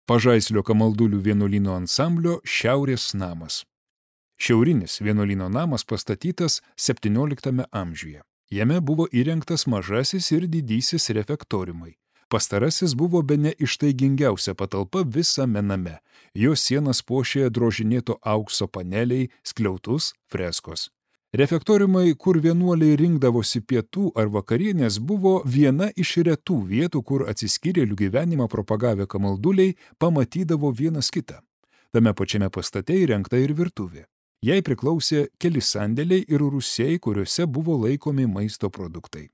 Pažaislio Kamaldulių vienuolyno ansamblio Šiaurės namas. Šiaurinis vienuolyno namas pastatytas 17 amžiuje. Jame buvo įrengtas mažasis ir didysis refektoriumai. Pastarasis buvo bene ištaigingiausia patalpa visame name. Jo sienas puošė drožinėto aukso paneliai, skliautus, freskos. Refektoriumai, kur vienuoliai rinkdavosi pietų ar vakarienės, buvo viena iš retų vietų, kur atsiskyrėlių gyvenimą propagavę kamalduliai pamatydavo vienas kitą. Tame pačiame pastate įrengta ir virtuvė. Jai priklausė keli sandėliai ir rūsiai, kuriuose buvo laikomi maisto produktai.